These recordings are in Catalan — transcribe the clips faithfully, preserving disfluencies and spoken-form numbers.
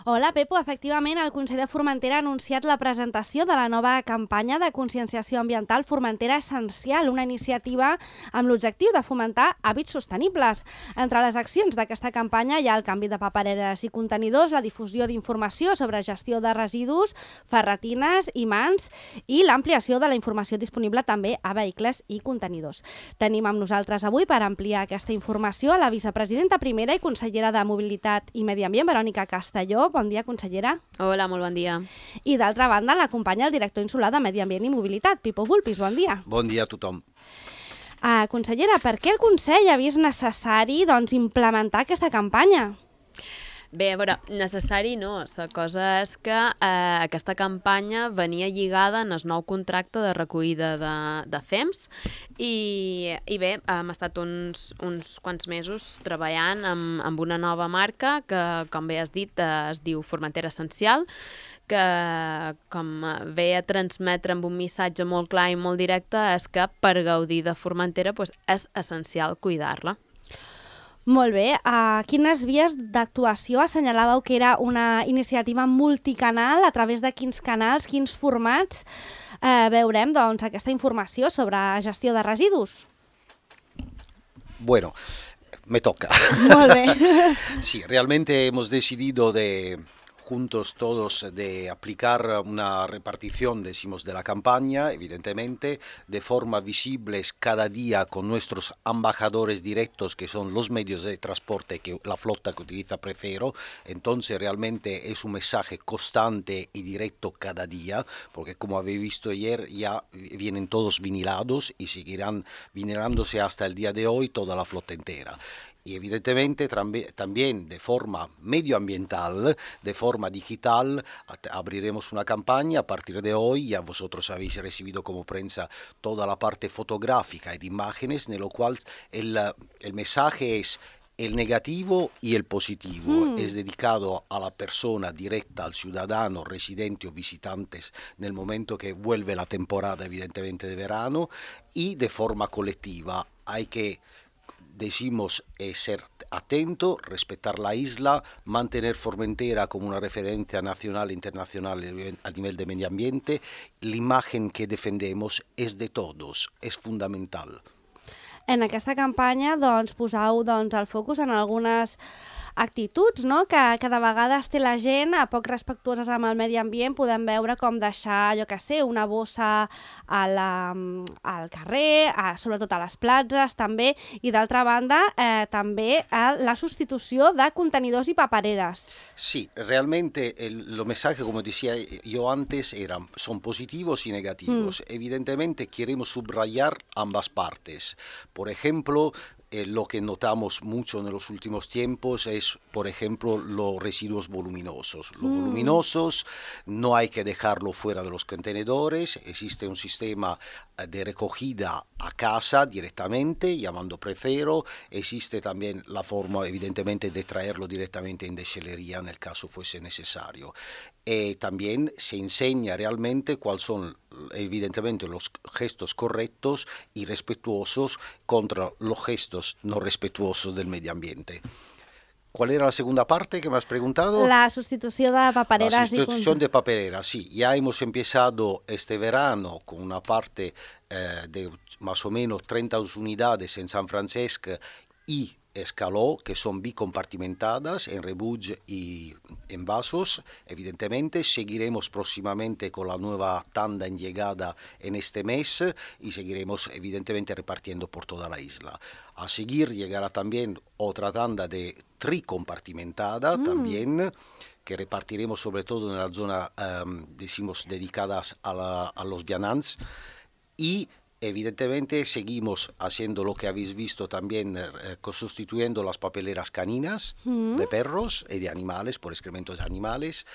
Hola, Pepo. Efectivament, el Consell de Formentera ha anunciat la presentació de la nova campanya de conscienciació ambiental Formentera Essencial, una iniciativa amb l'objectiu de fomentar hàbits sostenibles. Entre les accions d'aquesta campanya hi ha el canvi de papereres i contenidors, la difusió d'informació sobre gestió de residus, ferretines i mans i l'ampliació de la informació disponible també a vehicles i contenidors. Tenim amb nosaltres avui per ampliar aquesta informació a la vicepresidenta primera i consellera de Mobilitat i Medi Ambient, Verònica Castelló. Bon dia, consellera. Hola, molt bon dia. I d'altra banda, l'acompanya el director insular de Medi Ambient i Mobilitat, Pipo Vulpis. Bon dia. Bon dia a tothom. Uh, consellera, per què el Consell ha vist necessari doncs, implementar aquesta campanya? Bé, a veure, necessari no. La cosa és que eh, aquesta campanya venia lligada en el nou contracte de recollida de, de F E M S i, i bé, hem estat uns, uns quants mesos treballant amb, amb una nova marca que, com bé has dit, eh, es diu Formentera Essencial, que com ve a transmetre amb un missatge molt clar i molt directe és que per gaudir de Formentera doncs, és essencial cuidar-la. Molt bé. Uh, quines vies d'actuació assenyalàveu que era una iniciativa multicanal? A través de quins canals, quins formats uh, veurem doncs, aquesta informació sobre gestió de residus? Bueno, me toca. Molt bé. Sí, realmente hemos decidido de... juntos todos de aplicar una repartición, decimos, de la campaña, evidentemente, de forma visible cada día con nuestros embajadores directos, que son los medios de transporte, que la flota que utiliza Prefero. Entonces, realmente es un mensaje constante y directo cada día, porque como habéis visto ayer, ya vienen todos vinilados y seguirán vinilándose hasta el día de hoy toda la flota entera. Y evidentemente también de forma medioambiental, de forma digital, abriremos una campaña a partir de hoy. Ya vosotros habéis recibido como prensa toda la parte fotográfica y de imágenes, en lo cual el, el mensaje es el negativo y el positivo. Mm. Es dedicado a la persona directa, al ciudadano, residente o visitantes, en el momento que vuelve la temporada, evidentemente, de verano, y de forma colectiva. Hay que... Decimos eh, ser atento, respetar la isla, mantener Formentera como una referencia nacional e internacional a nivel de medio ambiente. La imagen que defendemos és de todos, és fundamental. En aquesta campanya doncs, posau doncs, el focus en algunes actituds, no? que, que de vegades té la gent a poc respectuoses amb el medi ambient. Podem veure com deixar, jo què sé, una bossa a la, al carrer, a, sobretot a les platges també, i d'altra banda eh, també a la substitució de contenidors i papereres. Sí, realmente el, los mensajes, como decía yo antes, eran, son positivos y negativos. Mm. Evidentemente queremos subrayar ambas partes. Por ejemplo, Eh, lo que notamos mucho en los últimos tiempos es, por ejemplo, los residuos voluminosos. Los mm. voluminosos no hay que dejarlo fuera de los contenedores. Existe un sistema de recogida a casa directamente, llamando Prefero. Existe también la forma, evidentemente, de traerlo directamente en deshelería en el caso fuese necesario. Eh, también se enseña realmente cuáles son, evidentemente, los gestos correctos y respetuosos contra los gestos no respetuosos del medio ambiente. ¿Cuál era la segunda parte que me has preguntado? La sustitución de papereras. La sustitución de papereras, sí. Ya hemos empezado este verano con una parte eh, de más o menos treinta unidades en San Francisco y Escaló, que son bicompartimentadas en rebuig y en vasos. Evidentemente seguiremos próximamente con la nueva tanda en llegada en este mes y seguiremos evidentemente repartiendo por toda la isla. A seguir llegará también otra tanda de tricompartimentada mm. también, que repartiremos sobre todo en la zona, um, decimos, dedicadas a, la, a los vianants, y evidentemente seguimos haciendo lo que habéis visto también, eh, sustituyendo las papeleras caninas mm. de perros y de animales por excrementos de animales,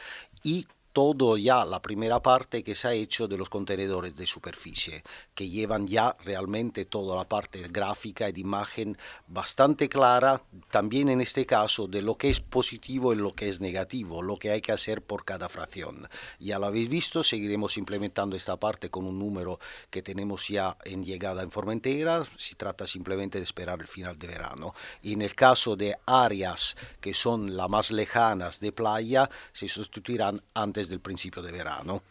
y todo ya la primera parte que se ha hecho de los contenedores de superficie, que llevan ya realmente toda la parte gráfica y de imagen bastante clara, también en este caso de lo que es positivo y lo que es negativo, lo que hay que hacer por cada fracción. Ya lo habéis visto, seguiremos implementando esta parte con un número que tenemos ya en llegada en Formentera, se trata simplemente de esperar el final de verano. Y en el caso de áreas que son las más lejanas de playa, se sustituirán antes del principio de verano.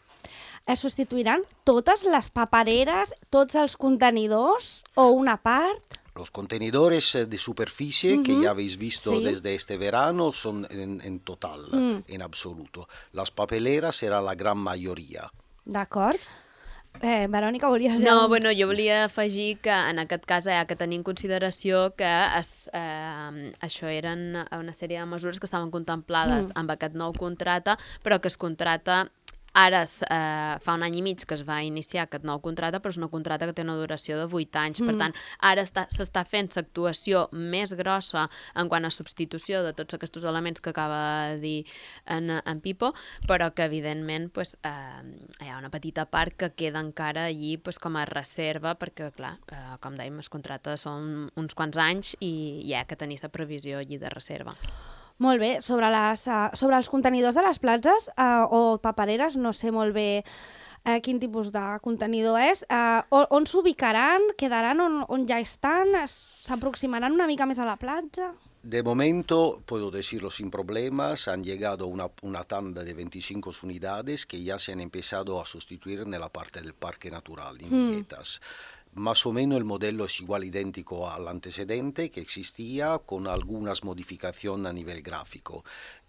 Es sustituiran totes les papereres, tots els contenidors o una part? Los contenedores de superficie uh-huh. que ya habéis visto sí. desde este verano son en, en total, mm. en absoluto. Las papeleras será la gran mayoria. D'acord. Eh, Verònica, volies... No, bueno, jo volia afegir que en aquest cas hi ha que tenir en consideració que es, eh, això eren una sèrie de mesures que estaven contemplades mm. amb aquest nou contracte, però que es contracta ara eh, fa un any i mig que es va iniciar aquest nou contracte, però és una contracte que té una duració de vuit anys. Mm. Per tant, ara s'està fent l'actuació més grossa en quant a substitució de tots aquests elements que acaba de dir en, en Pipo, però que evidentment pues, eh, hi ha una petita part que queda encara allí pues, com a reserva, perquè clar, eh, com dèiem, els contractes són uns quants anys i hi ha que tenir la previsió allí de reserva. Molt bé, sobre, les, uh, sobre els contenidors de les platges uh, o papereres, no sé molt bé uh, quin tipus de contenidor és, uh, on, on s'ubicaran, quedaran on, on ja estan, s'aproximaran una mica més a la platja? De momento, puedo decirlo sin problemas, han llegado una, una tanda de veinticinco unidades que ya se han empezado a sustituir en la parte del Parque Natural de Villetas. Mm. Más o menos el modelo es igual idéntico al antecedente que existía con algunas modificaciones a nivel gráfico.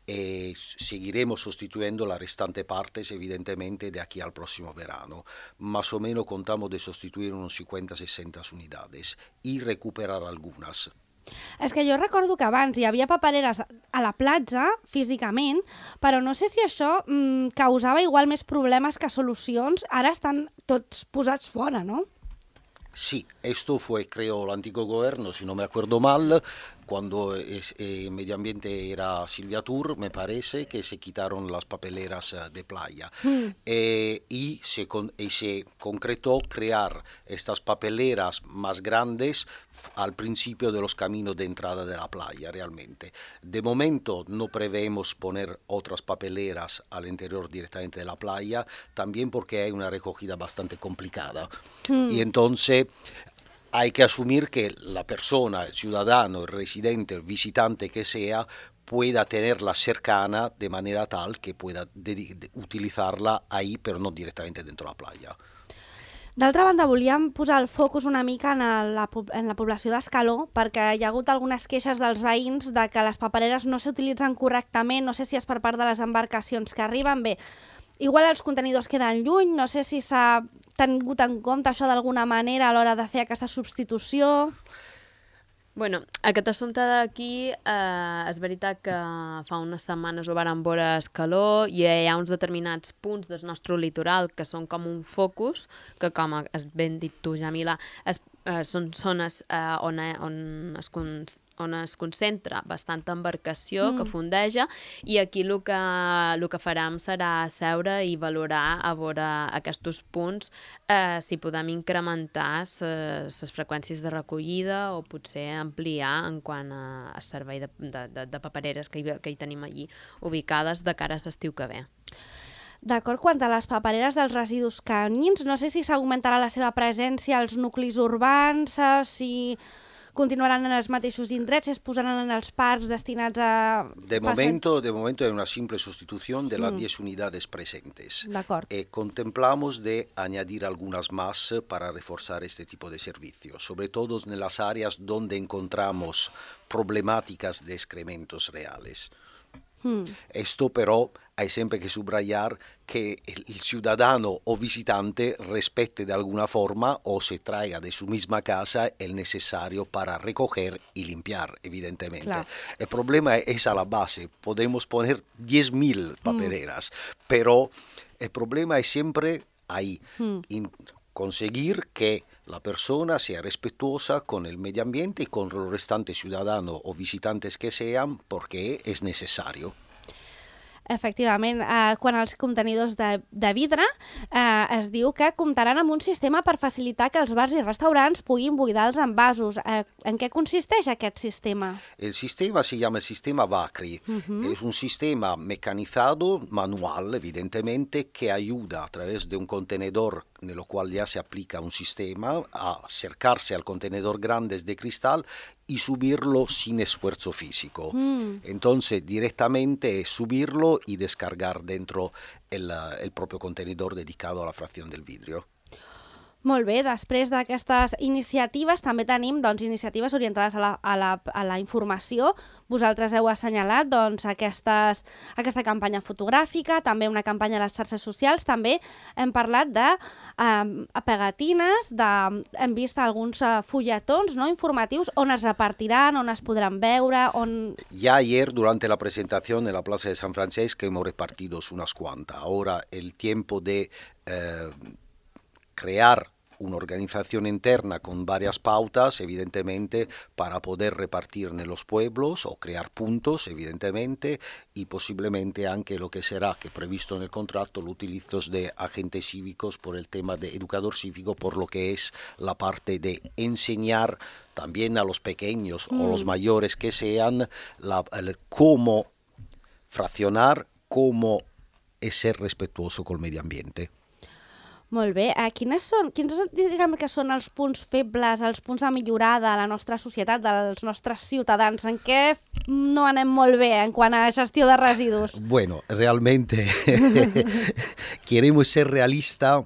E seguiremos sustituyendo las restantes partes evidentemente de aquí al próximo verano. Más o menos contamos de sustituir unos cincuenta a sesenta unidades y recuperar algunas. És que jo recordo que abans hi havia papereres a la platja, físicament, però no sé si això mmm, causava igual més problemes que solucions. Ara estan tots posats fora, no? Sí, esto fue, creo, el antiguo gobierno, si no me acuerdo mal, cuando es, eh, en medio ambiente era Silvia Tour, me parece, que se quitaron las papeleras uh, de playa. Mm. Eh, y, se con, y se concretó crear estas papeleras más grandes al principio de los caminos de entrada de la playa, realmente. De momento no preveemos poner otras papeleras al interior directamente de la playa, también porque hay una recogida bastante complicada. Mm. Y entonces hay que asumir que la persona, el ciudadano, el residente, el visitante que sea, pueda tenerla cercana de manera tal que pueda de, de, utilizarla ahí, pero no directamente dentro de la playa. D'altra banda, volíem posar el focus una mica en la, en la població d'Escaló, perquè hi ha hagut algunes queixes dels veïns de que les papereres no s'utilitzen correctament, no sé si és per part de les embarcacions que arriben. Bé, igual els contenidors queden lluny, no sé si s'ha tingut en compte això d'alguna manera a l'hora de fer aquesta substitució. Bueno, aquest assumpte d'aquí, eh, és veritat que fa unes setmanes ho vàrem veure a Escaló i hi ha uns determinats punts del nostre litoral que són com un focus, que com has ben dit tu, Jamila, es, eh, són zones eh, on, on, es, on es concentra bastanta embarcació mm. que fondeja, i aquí el que, el que farem serà seure i valorar a veure aquests punts eh, si podem incrementar les freqüències de recollida o potser ampliar en quant a, a servei de, de, de, de papereres que hi, que hi tenim allí ubicades de cara a l'estiu que ve. D'acord, quant a les papereres dels residus canins, no sé si s'augmentarà la seva presència als nuclis urbans, si continuaran en els mateixos indrets, si es posaran en els parcs destinats a... De momento, de momento hay una simple sustitución de las mm. diez unidades presentes. D'acord. Eh, contemplamos de añadir algunas más para reforzar este tipo de servicios, sobre todo en las áreas donde encontramos problemáticas de excrementos reales. Hmm. Esto però hay siempre que subrayar que el ciudadano o visitante respete de alguna forma o se traiga de su misma casa el necesario para recoger y limpiar, evidentemente. Claro. El problema es a la base, podemos poner diez mil papereras, hmm. pero el problema es siempre ahí, hmm. in, conseguir que la persona sea respetuosa con el medio ambiente y con los restantes ciudadanos o visitantes que sean, porque es necesario. Efectivament, eh, quan els contenidors de, de vidre eh, es diu que comptaran amb un sistema per facilitar que els bars i restaurants puguin buidar els envasos. Eh, en què consisteix aquest sistema? El sistema se llama sistema Vacri. Uh-huh. Es un sistema mecanizado, manual, evidentemente, que ayuda a través de un contenedor en el cual ya se aplica un sistema a acercarse al contenedor grande de cristal y subirlo sin esfuerzo físico. Mm. Entonces, directamente es subirlo y descargar dentro el, el propio contenedor dedicado a la fracción del vidrio. Molt bé, després d'aquestes iniciatives també tenim doncs, iniciatives orientades a la, a, la, a la informació. Vosaltres heu assenyalat doncs, aquestes, aquesta campanya fotogràfica, també una campanya a les xarxes socials, també hem parlat de eh, pegatines, de, hem vist alguns eh, fulletons, ¿no?, informatius on es repartiran, on es podran veure, on... Ya ayer, durante la presentación en la Plaza de San Francisco, hemos repartido unas cuantas. Ahora el tiempo de... Eh, crear una organización interna con varias pautas, evidentemente, para poder repartir en los pueblos o crear puntos, evidentemente, y posiblemente anche lo que será, que previsto en el contrato, los utilizos de agentes cívicos por el tema de educador cívico, por lo que es la parte de enseñar también a los pequeños mm. o los mayores que sean la, el, cómo fraccionar, cómo es ser respetuoso con el medio ambiente. Molt bé. Eh, quines són, quins diguem que són els punts febles, els punts a millorar de la nostra societat, dels nostres ciutadans? En què no anem molt bé en quant a gestió de residus? Bueno, realmente queremos ser realistas.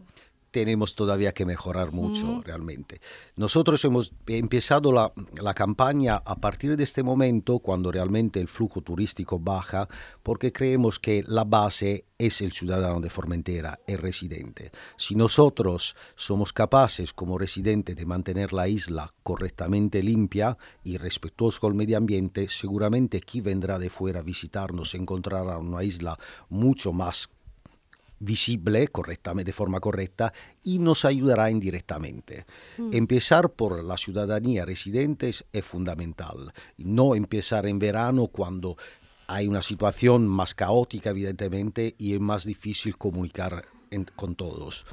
Tenemos todavía que mejorar mucho, mm. realmente. Nosotros hemos empezado la, la campaña a partir de este momento, cuando realmente el flujo turístico baja, porque creemos que la base es el ciudadano de Formentera, el residente. Si nosotros somos capaces, como residentes, de mantener la isla correctamente limpia y respetuosos con el medio ambiente, seguramente quien vendrá de fuera a visitarnos encontrará una isla mucho más visible, correctamente, de forma correcta, y nos ayudará indirectamente. Mm. Empezar por la ciudadanía residente es fundamental. No empezar en verano cuando hay una situación más caótica, evidentemente, y es más difícil comunicar en, con todos.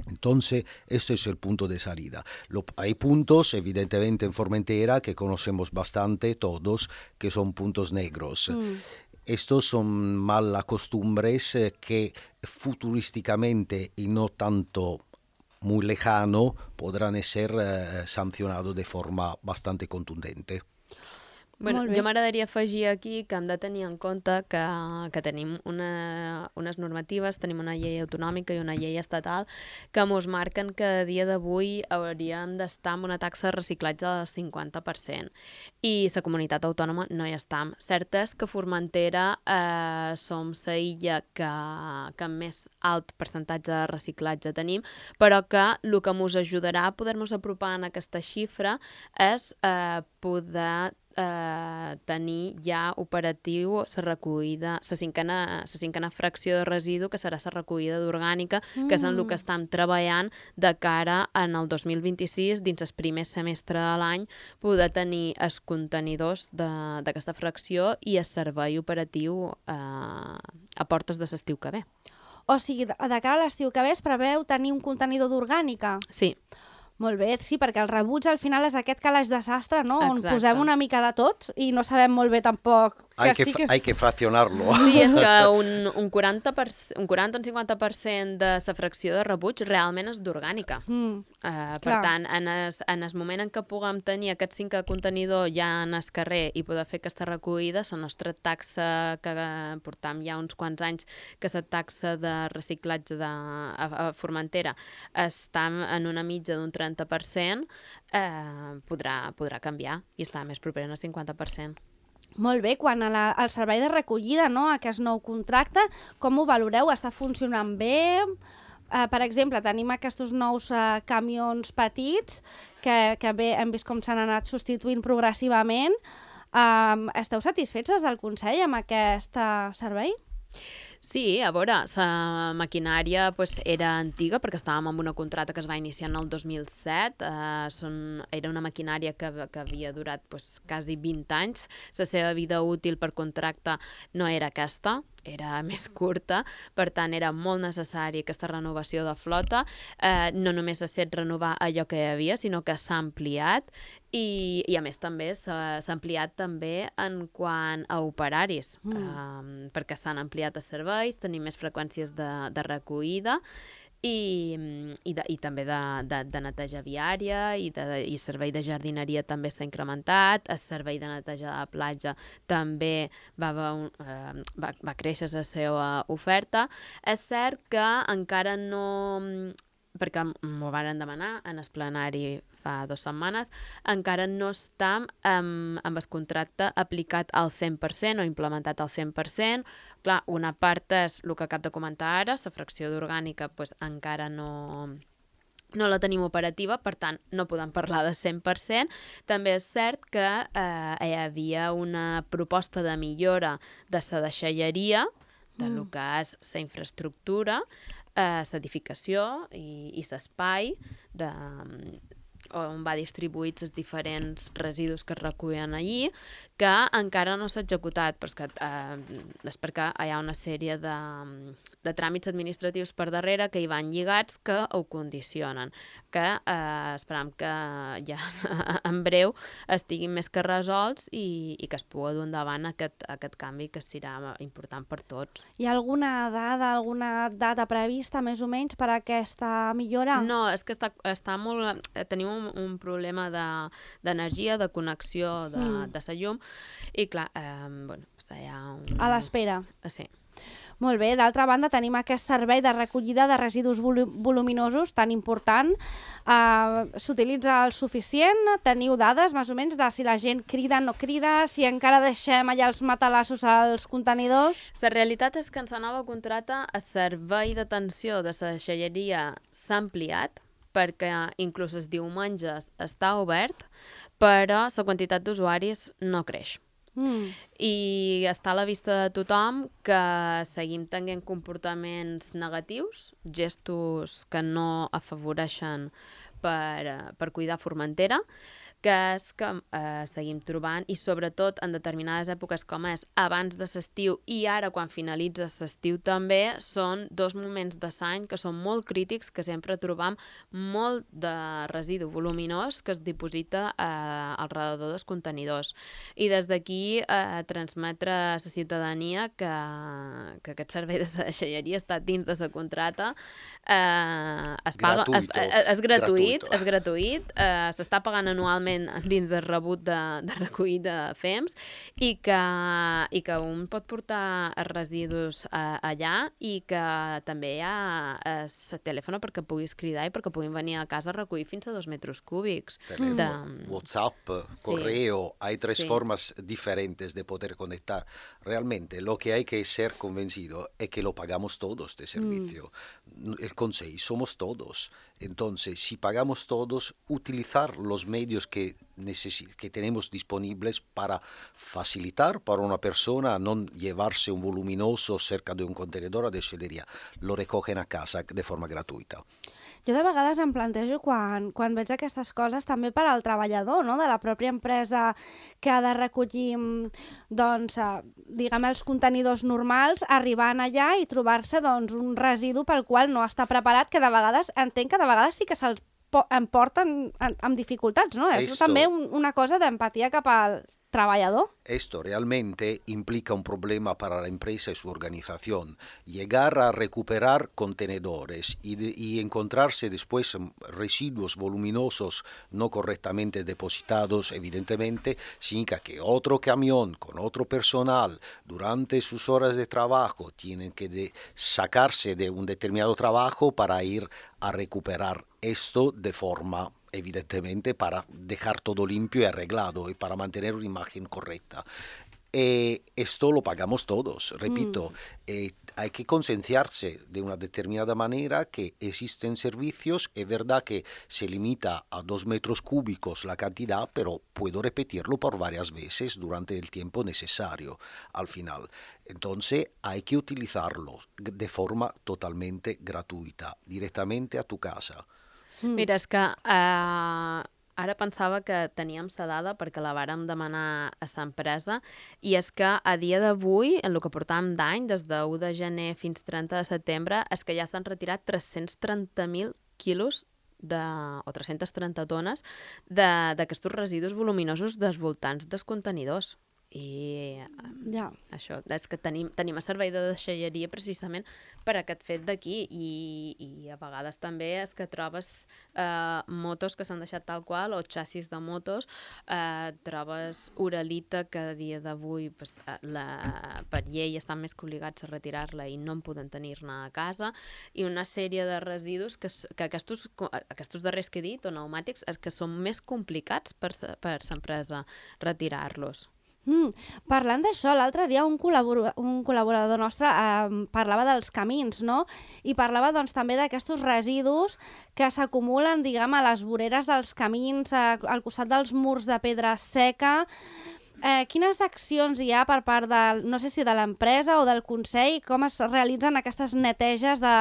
Entonces, este es el punto de salida. Lo, hay puntos, evidentemente, en Formentera que conocemos bastante todos, que son puntos negros. Mm. Estos son malas costumbres que futurísticamente y no tanto muy lejano podrán ser eh, sancionados de forma bastante contundente. Bueno, jo m'agradaria afegir aquí que hem de tenir en compte que, que tenim una, unes normatives, tenim una llei autonòmica i una llei estatal que ens marquen que a dia d'avui hauríem d'estar amb una taxa de reciclatge del cinquanta per cent i la comunitat autònoma no hi està. Cert és que Formentera eh, som la illa que, que més alt percentatge de reciclatge tenim, però que el que ens ajudarà a poder-nos apropar en aquesta xifra és eh, poder Eh, tenir ja operatiu la recollida, la cinquena, la cinquena fracció de residu, que serà la recollida d'orgànica, mm. que és en el que estem treballant de cara en el dos mil vint-i-sis, dins el primer semestre de l'any, poder tenir els contenidors d'aquesta fracció i el servei operatiu eh, a portes de l'estiu que ve. O sigui, de cara a l'estiu que ve es preveu tenir un contenidor d'orgànica? Sí. Molt bé, sí, perquè el rebuig al final és aquest calaix de sastre, no? Exacte. On posem una mica de tot i no sabem molt bé tampoc... Que hay, que, sí que... hay que fraccionarlo. Sí, és que un, un, quaranta per cent, un quaranta o un cinquanta per cent de la fracció de rebuig realment és d'orgànica. Mm, uh, per tant, en el, en el moment en què puguem tenir aquest cinc contenidor ja en el carrer i poder fer aquesta recollida, la nostra taxa que portam ja uns quants anys, que la taxa de reciclatge de, a, a Formentera està en una mitja d'un trenta per cent, eh, podrà, podrà canviar i està més proper al cinquanta per cent. Molt bé, quan a la, al servei de recollida, no, aquest nou contracte, com ho valoreu? Està funcionant bé? Uh, per exemple, tenim aquests nous uh, camions petits que, que bé, hem vist com s'han anat substituint progressivament. Um, esteu satisfets des del Consell amb aquest uh, servei? Sí, a veure, la maquinària pues, era antiga perquè estàvem amb una contracta que es va iniciar en el dos mil set. Uh, són, era una maquinària que, que havia durat pues, quasi vint anys. La seva vida útil per contracte no era aquesta. era més curta, per tant era molt necessari aquesta renovació de flota. Eh, no només ha estat renovar allò que hi havia, sinó que s'ha ampliat i, i a més també s'ha ampliat també en quant a operaris, mm. eh, perquè s'han ampliat els serveis, tenim més freqüències de, de recollida, I, i, de, i també de, de, de neteja viària i, de, i servei de jardineria també s'ha incrementat, el servei de neteja de la platja també va, va, eh, va, va créixer la seva oferta. És cert que encara no, perquè m'ho varen demanar en el plenari fa dues setmanes, encara no està amb, amb el contracte aplicat al cent per cent o implementat al cent per cent. Clar, una part és el que acabo de comentar ara, la fracció d'orgànica pues, encara no, no la tenim operativa, per tant, no podem parlar de cent per cent. També és cert que eh, hi havia una proposta de millora de la deixalleria, de mm. lo que és la infraestructura, eh, l'edificació i, i l'espai de on va distribuïts els diferents residus que es recullen allí, que encara no s'ha executat, però és, que, eh, és perquè hi ha una sèrie de, de tràmits administratius per darrere que hi van lligats que ho condicionen, que eh, esperam que ja en breu estiguin més que resolts i, i que es pugui dur endavant aquest, aquest canvi que serà important per tots. Hi ha alguna dada, alguna data prevista més o menys per a aquesta millora? No, és que està, està molt... Tenim un, un problema d'energia, de, de connexió de, mm. de la llum i clar, eh, bueno, hi ha un... A l'espera. Sí. Molt bé, d'altra banda tenim aquest servei de recollida de residus voluminosos tan important. Uh, S'utilitza el suficient? Teniu dades més o menys de si la gent crida o no crida, si encara deixem allà els matalassos als contenidors? La realitat és que en la nova contrata el servei d'atenció de la deixalleria s'ha ampliat, perquè inclús els diumenges està obert, però la quantitat d'usuaris no creix. Mm. I està a la vista de tothom que seguim tenint comportaments negatius, gestos que no afavoreixen per, per cuidar Formentera, que és que eh, seguim trobant, i sobretot en determinades èpoques com és abans de l'estiu i ara quan finalitza l'estiu també, són dos moments de l'any que són molt crítics, que sempre trobam molt de residu voluminós que es diposita eh, al redador dels contenidors. I des d'aquí eh, transmetre a la ciutadania que, que aquest servei de la deixalleria està dins de la contrata, eh, es paga, es, es, és gratuït, és gratuït, eh, s'està pagant anualment dins del rebut de, de recollida de F E M S i que, i que un pot portar els residus eh, allà i que també hi ha el telèfon perquè puguis cridar i perquè puguin venir a casa a recollir fins a dos metres cúbics. Teléfono, de... WhatsApp, correo, sí. Hay tres sí. formas diferentes de poder conectar. Realmente lo que hay que ser convencido es que lo pagamos todos de servicio. Mm. El Consejo somos todos. Entonces, si pagamos todos, utilizar los medios que, necesi- que tenemos disponibles para facilitar para una persona no llevarse un voluminoso cerca de un contenedor de deixalleria. Lo recogen a casa de forma gratuïta. Jo de vegades em plantejo quan, quan veig aquestes coses també per al treballador, no?, de la pròpia empresa que ha de recollir doncs, diguem, els contenidors normals, arribant allà i trobar-se doncs, un residu pel qual no està preparat, que de vegades entenc que de vegades sí que se'ls emporten amb dificultats, no? És també un, una cosa d'empatia cap al trabajador. Esto realmente implica un problema para la empresa y su organización. Llegar a recuperar contenedores y, de, y encontrarse después residuos voluminosos no correctamente depositados, evidentemente, significa que otro camión con otro personal durante sus horas de trabajo tienen que de sacarse de un determinado trabajo para ir a recuperar esto de forma evidentemente para dejar todo limpio y arreglado y para mantener una imagen correcta. Eh, esto lo pagamos todos, repito, mm. eh, hay que concienciarse de una determinada manera que existen servicios, es verdad que se limita a dos metros cúbicos la cantidad, pero puedo repetirlo por varias veces durante el tiempo necesario al final. Entonces hay que utilizarlo de forma totalmente gratuita, directamente a tu casa. Mira, és que uh, Ara pensava que teníem la dada perquè la vàrem demanar a l'empresa i és que a dia d'avui, en el que portàvem d'any, des de u de gener fins trenta de setembre, és que ja s'han retirat tres-cents trenta mil quilos de, o tres-centes trenta tones d'aquests residus voluminosos dels voltants dels contenidors. I ja. això, és que tenim, tenim a servei de deixalleria precisament per aquest fet d'aquí i, i a vegades també és que trobes eh, motos que s'han deixat tal qual o xassis de motos, eh, trobes uralita que a dia d'avui pues, la, per llei estan més que obligats a retirar-la i no en poden tenir-ne a casa i una sèrie de residus que, que aquests, aquests darrers que he dit o pneumàtics és que són més complicats per, per l'empresa retirar-los. Mm, parlant d'això, l'altre dia un, col·labor un col·laborador nostre eh, parlava dels camins, no? I parlava doncs, també d'aquests residus que s'acumulen, diguem, a les voreres dels camins, a, al costat dels murs de pedra seca. Eh, quines accions hi ha per part de, no sé si de l'empresa o del Consell, com es realitzen aquestes neteges de,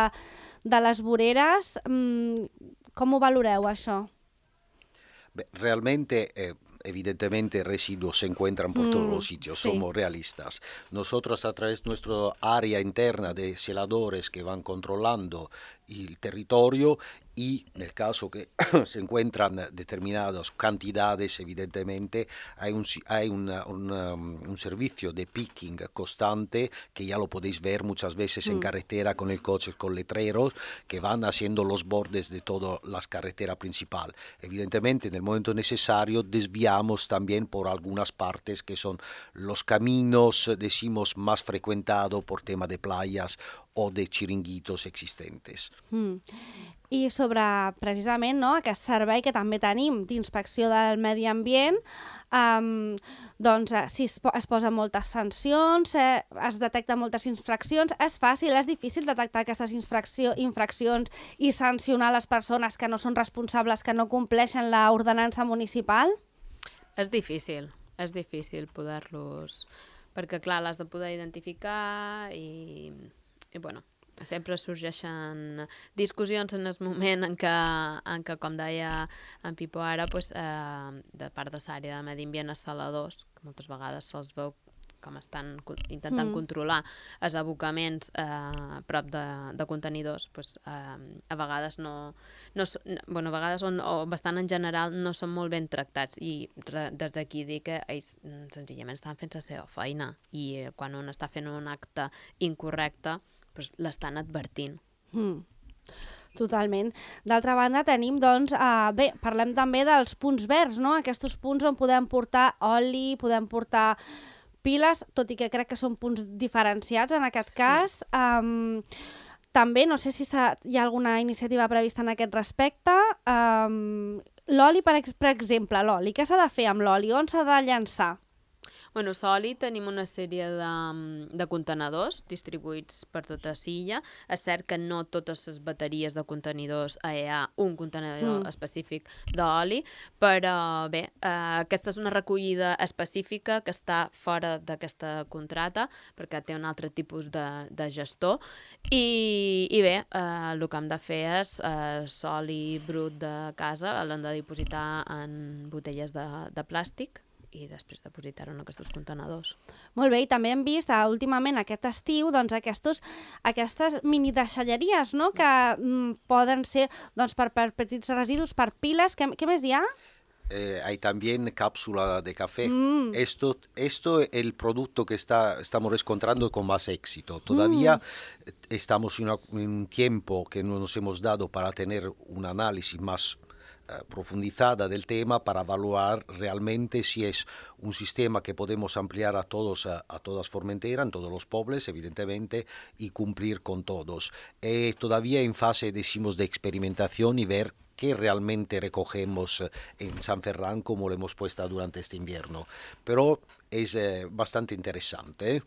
de les voreres? Mm, com ho valoreu, això? Beh, realmente... Eh... Evidentemente residuos se encuentran por mm, todos los sitios, sí. Somos realistas. Nosotros a través de nuestra área interna de celadores que van controlando el territorio y en el caso que se encuentran determinadas cantidades, evidentemente hay un, hay una, una, un servicio de picking constante que ya lo podéis ver muchas veces mm. en carretera con el coche, con letreros que van haciendo los bordes de toda la carretera principal. Evidentemente en el momento necesario desviamos también por algunas partes que son los caminos, decimos, más frecuentados por tema de playas o de chiringuitos existentes. Mm. I sobre, precisament, no, aquest servei que també tenim d'inspecció del medi ambient, um, doncs si es, es posen moltes sancions, eh, es detecten moltes infraccions, és fàcil, és difícil detectar aquestes infraccions i sancionar les persones que no són responsables, que no compleixen l'ordenança municipal? És difícil, és difícil poder-los... Perquè, clar, l'has de poder identificar i, i bueno... Sempre sorgeixen discussions en el moment en què, en què com deia en Pipo ara, pues, eh, de part de l'àrea de medi ambient als saladors, que moltes vegades se'ls veu com estan intentant mm. controlar els abocaments eh, a prop de, de contenidors, pues, eh, a vegades no... no bueno, a vegades o, o bastant en general no són molt ben tractats i re, des d'aquí dir que ells senzillament estan fent la seva feina i quan un està fent un acte incorrecte pues l'estan advertint. Mm. Totalment. D'altra banda tenim, doncs, eh, bé, parlem també dels punts verds, no? Aquests punts on podem portar oli, podem portar piles, tot i que crec que són punts diferenciats en aquest sí. cas. Um, també, no sé si hi ha alguna iniciativa prevista en aquest respecte. Um, l'oli, per, per exemple, l'oli, què s'ha de fer amb l'oli? On s'ha de llançar? Bueno, l'oli tenim una sèrie de, de contenedors distribuïts per tota Silla. És cert que no totes les bateries de contenidors hi ha un contenidor mm. específic d'oli, però bé, eh, aquesta és una recollida específica que està fora d'aquesta contrata perquè té un altre tipus de, de gestor i, i bé, eh, el que hem de fer és eh, l'oli brut de casa l'hem de dipositar en botelles de, de plàstic i després depositar-ho en aquests contenedors. Molt bé, i també hem vist uh, últimament aquest estiu doncs, aquestos, aquestes mini deixalleries, no? que mm, poden ser doncs, per, per petits residus, per piles. Què, què més hi ha? Eh, hay también cápsula de café. Mm. Esto, esto es el producto que está, estamos encontrando con más éxito. Todavía mm. estamos en, una, en un tiempo que no nos hemos dado para tener un análisis más profundizada del tema para evaluar realmente si es un sistema que podemos ampliar a todos, a, a todas Formentera, en todos los pueblos, evidentemente, y cumplir con todos. Eh, todavía en fase, decimos, de experimentación y ver qué realmente recogemos en San Ferran como lo hemos puesto durante este invierno. Pero es eh, bastante interesante, ¿eh?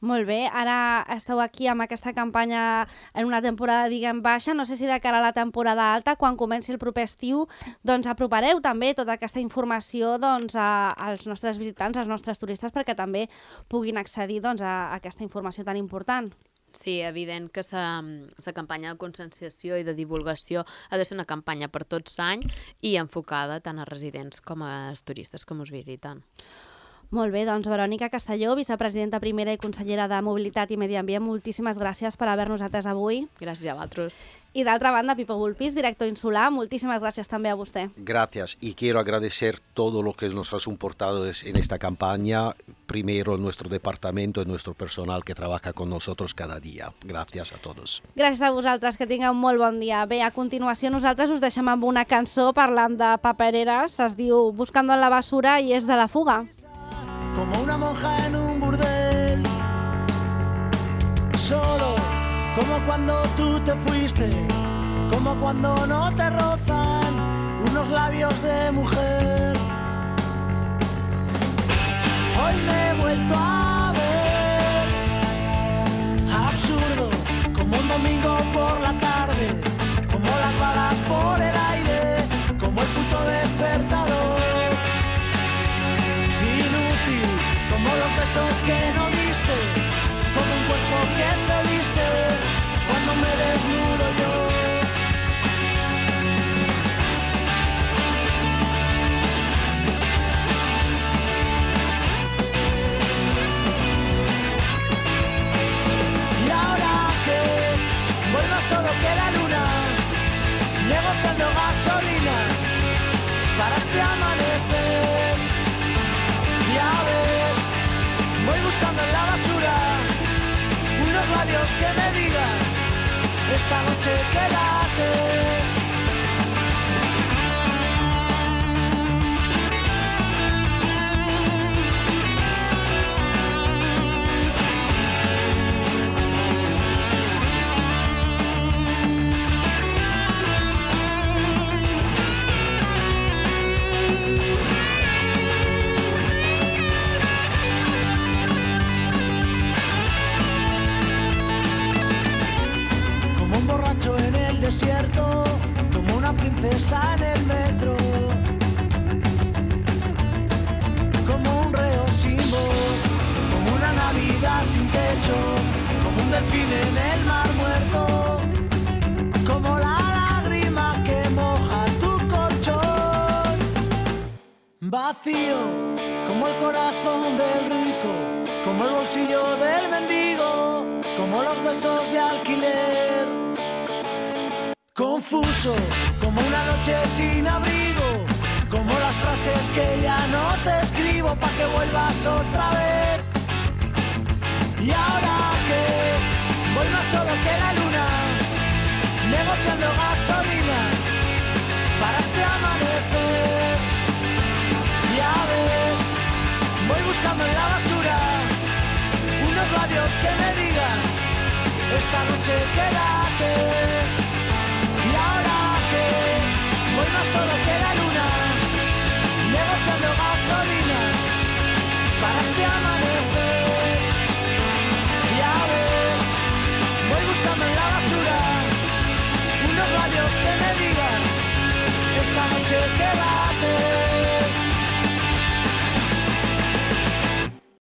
Molt bé, ara esteu aquí amb aquesta campanya en una temporada, diguem, baixa. No sé si de cara a la temporada alta, quan comenci el proper estiu, doncs apropareu també tota aquesta informació doncs, a, als nostres visitants, als nostres turistes, perquè també puguin accedir doncs, a, a aquesta informació tan important. Sí, evident que la campanya de conscienciació i de divulgació ha de ser una campanya per tots l'any i enfocada tant a residents com als turistes que ens visiten. Molt bé, doncs Verònica Castelló, vicepresidenta primera i consellera de Mobilitat i Medi Ambient, moltíssimes gràcies per haver-nos atès avui. Gràcies a vosaltres. I d'altra banda, Pipo Bulpis, director insular, moltíssimas gracias también a usted. Gracias, y quiero agradecer todo lo que nos ha soportado en esta campaña, primero nuestro departamento y nuestro personal que trabaja con nosotros cada día. Gracias a todos. Gràcies a vosaltres, que tingueu un molt bon dia. Bé, a continuació nosaltres us deixem amb una cançó parlant de papereres, es diu Buscando en la basura i és de La Fuga. Como una monja en un burdel, solo como cuando tú te fuiste, como cuando no te rozan unos labios de mujer. Hoy me he vuelto a ver absurdo, como un domingo por la tarde, como las balas por el aire, como el puto despertador. Como los besos que no diste, como un cuerpo que se viste cuando me desnudo yo. Y ahora que voy más solo que la luna, negociando gasolina para este amanecer. Ya ves, voy buscando en la basura unos labios que me digan esta noche quédate. En el desierto, como una princesa en el metro, como un reo sin voz, como una Navidad sin techo, como un delfín en el mar muerto, como la lágrima que moja tu colchón, vacío, como el corazón del rico, como el bolsillo del mendigo, como los besos de alquiler. Confuso, como una noche sin abrigo, como las frases que ya no te escribo pa' que vuelvas otra vez. Y ahora que voy más solo que la luna, negociando gasolina para este amanecer. Ya ves, voy buscando en la basura unos labios que me digan esta noche quédate.